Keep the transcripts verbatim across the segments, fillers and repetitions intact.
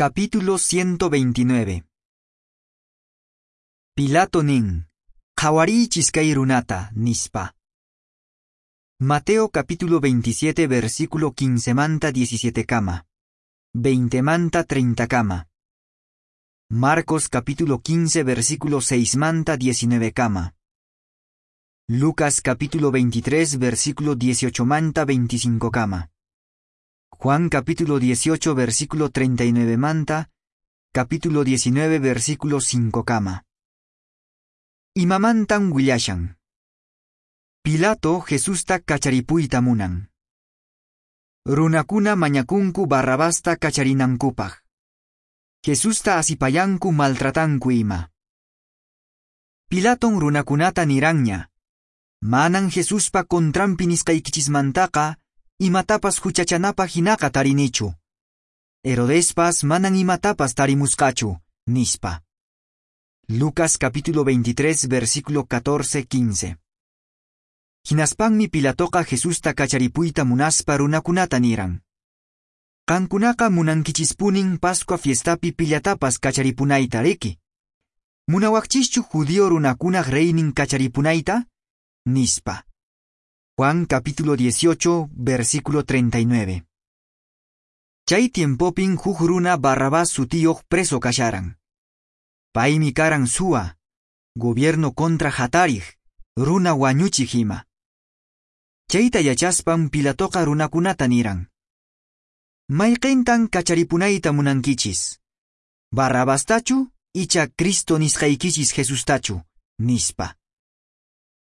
Capítulo ciento veintinueve. Pilato nin: "Qhawariychis kay runata", nispa. Mateo capítulo veintisiete versículo quince manta diecisiete kama, veinte manta treinta kama. Marcos capítulo quince versículo seis manta diecinueve kama. Lucas capítulo veintitrés versículo dieciocho manta veinticinco kama. Juan capítulo dieciocho versículo treinta y nueve manta, capítulo diecinueve versículo cinco kama. Imamantan willashan? Pilato Jesusta kacharipuyta munan. Runakuna mañakunku Barrabasta kacharinankupaq. Jesusta asipayanku, maltratanku ima. Pilaton runakunata niranña: "Manan Jesuspa contranpi nisqaykichismantaqa imatapas huchachanapaq hinaqa tarinichu. Herodespas manan imatapas tarimusqachu", nispa. Lucas capítulo veintitrés versículo catorce quince. Hinaspanmi Pilatoqa Jesusta kacharipuyta munaspa runakunata niran: "Qankunaqa munankichispunin Pascua fiestapi pillatapas kacharipunayta, riki? Munawaqchischu judío runakunaq reynin kacharipunayta?" nispa. Juan capítulo dieciocho versículo treinta y nueve. Chay tiempopin huk runa Barrabás sutiyuq preso kasharan. Paymi karan suwa, gobierno contra hatariq, runa wañuchiq ima. Chayta yachaspan Pilatoqa runakunata niran: "Mayqintan kacharipunayta munankichis? Barrabastachu icha Cristo nisqaykichis Jesustachu?" nispa.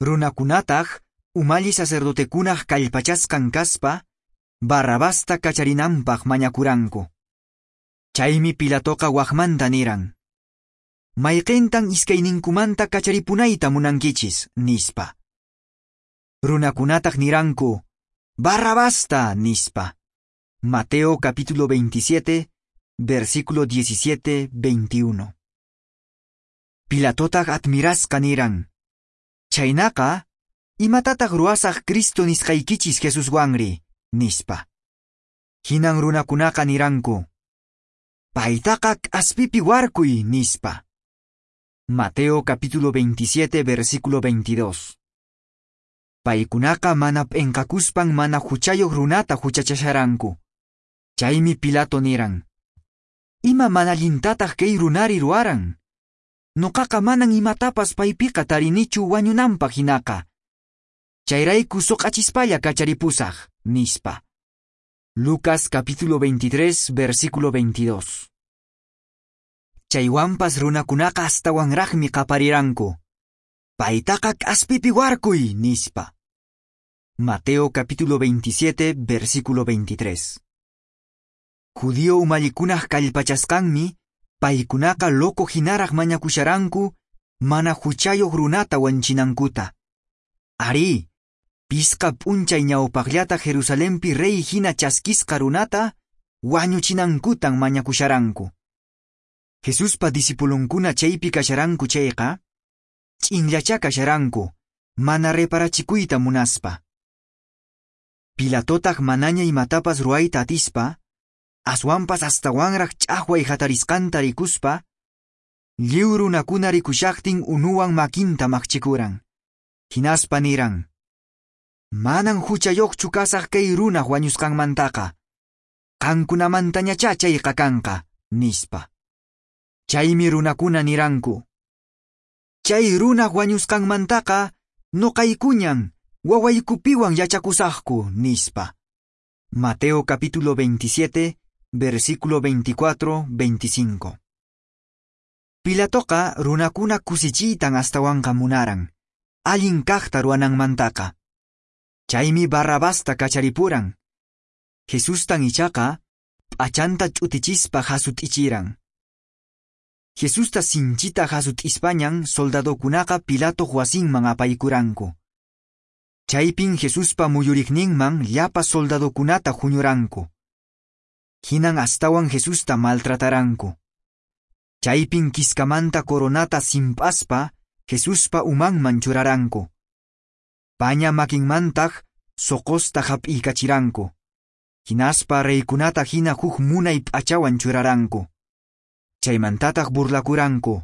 Runakunataq umalli sacerdotekunaq kallpachasqan kaspa Barrabasta kacharinanpaq mañakuranku. Chaymi Pilatoqa waqmanta niran: "Mayqintan iskayninkumanta kacharipunayta munankichis?" nispa. Runakunataq niranku: "Barrabasta", nispa. Mateo capítulo veintisiete, versículo diecisiete, veintiuno. Pilatotaq admirasqa niran: "Chhaynaqa, imatataq ruwasaq Cristo nisqaykichis Jesuswanri?" nispa. Hinan runakunaqa niranku: "Paytaqa k'aspipi warkuy", nispa. Mateo capítulo veintisiete versículo veintidós. Paykunaqa mana p'enqakuspan mana huchayuq runata huchachasharanku. Chaymi Pilato niran: "Ima mana allintataq kay runari ruwaran? Nuqaqa manan imatapas paypiqa tarinichu wañunanpaq hinaqa. Chayrayku suq'achispalla kacharipusaq", nispa. Lucas capítulo veintitrés versículo veintidós. Chaywanpas runakunaqa astawanraqmi qapariranku: "Paytaqa k'aspipi warkuy", nispa. Mateo capítulo veintisiete versículo veintitrés. Judío umallikunaq kallpachasqanmi paykunaqa loco hinaraq mañakusharanku mana huchayuq runata wanchinankuta. Arí, pisqa p'unchay ñawpaqllata Jerusalenpi rey hina chaskisqa runata wañuchinankutan mañakusharanku. Jesuspa discipulonkuna chaypi kasharanku chayqa, ch'inllacha kasharanku, mana reparachikuyta munaspa. Pilatotaq manaña imatapas ruwayta atispa, aswanpas astawanraq ch'aqway hatarisqanta rikuspa, lliw runakuna rikushaqtin unuwan makinta maqchikuran. Hinaspa niran: "Manan huchayuqchu kasaq kay runaq wañusqanmantaqa. Qankunamantañachá chayqa kanqa", nispa. Chaymi runakuna niranku: "Chay runaq wañusqanmantaqa nuqaykuñan wawaykupiwan yachakusaqku", nispa. Mateo capítulo veintisiete, versículo veinticuatro, veinticinco. Pilatoqa runakuna kusichiytan astawanqa munaran, allin kaqta ruwananmantaqa. Chaymi Barrabasta kacharipuran. Jesustan ichaqa p'achanta ch'utichispa hasut'ichiran. Jesusta sinchita hasut'ispañan soldadokunaqa Pilatoq wasinman apaykuranku. Chaypin Jesuspa muyuriqninman llapa soldadokunata huñuranku. Hinan astawan Jesusta maltrataranku. Chaypin kiskamanta coronata simp'aspa Jesuspa umanman churaranku. Paña makinmantaq soqosta hap'iykachiranku. Hinaspa reykunata hina huk munay p'achawan churaranku. Chaymantataq burlakuranku.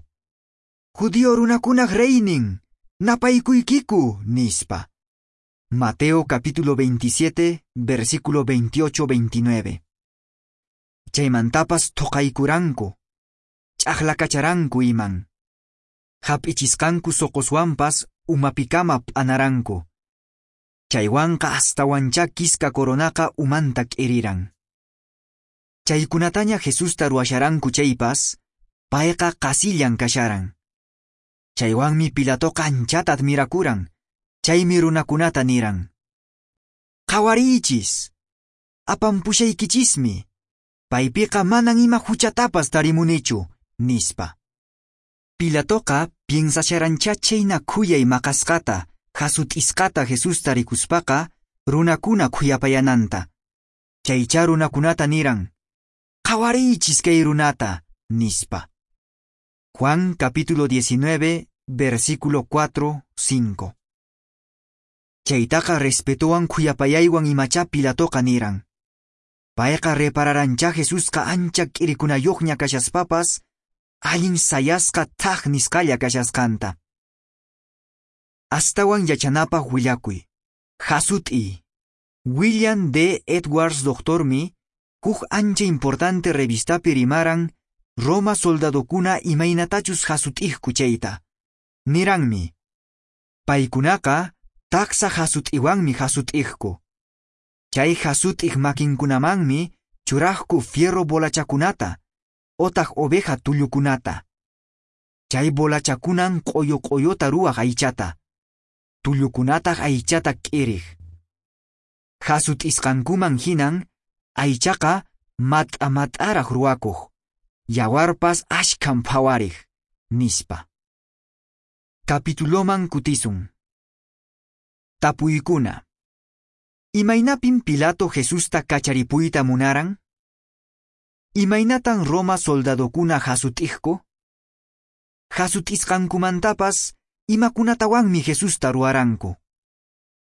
Judío runakunaq reynin, napaykuykiku, nispa. Mateo capítulo veintisiete, versículo veintiocho veintinueve. Chaymantapas thoqaykuranku, ch'aqlakacharanku iman. Hap'ichisqanku soqoswanpas umapikama p'anaranku. Chaywanqa astawanchá kiska coronaqa umanta k'iriran. Chaykunataña Jesusta ruwasharanku chaypas, payqa qasillan kasharan. Chaywanmi Pilatoqa anchata admirakuran, chaymi runakunata niran. Qhawariychis, apampushaykinchismi, paypiqa manan ima huchatapas tarimunichu, nispa. Pilatoqa piensasharanchá chhayna khuyay maqasqata, hasut'isqata Jesusta rikuspaqa runakuna khuyapayananta. Chaychá runakunata niran, qhawariychis kay runata, nispa. Juan capítulo diecinueve, versículo cuatro, cinco. Chaytaqa respetowan khuyapayaywan imachá Pilatoqa niran. Payqa repararanchá Jesusqa ancha k'irikunayoqña kashaspapas, allin sayasqa thaj nisqalla kashasqanta. Astawan yachanapaq willakuy. Hasut'i. William D. Edwards doctormi, huk ancha importante revistapi rimaran Roma soldadokuna imaynatachus hasut'iqku chayta. Niranmi, paykunaqa taksa hasut'iwanmi hasut'iqku. Chay hasut'iq makinkunamanmi churaqku fierro bolachakunata, otaq oveja tullukunata. Chay bolachakunan q'uyu q'uyuta ruwaq aychata. Tullukunataq aychata k'iriq. Hasut'isqankuman hinan aychaqa mat'a mat'araq ruwakuq. Yawarpas ashkhan phawariq, nispa. Capituloman kutisun. Tapuykuna. Imaynapin Pilato Jesusta kacharipuyta munaran? Imaynatan Roma soldadokuna hasut'iqku? Hasut'isqankumantapas imakunatawanmi Jesusta ruwaranku?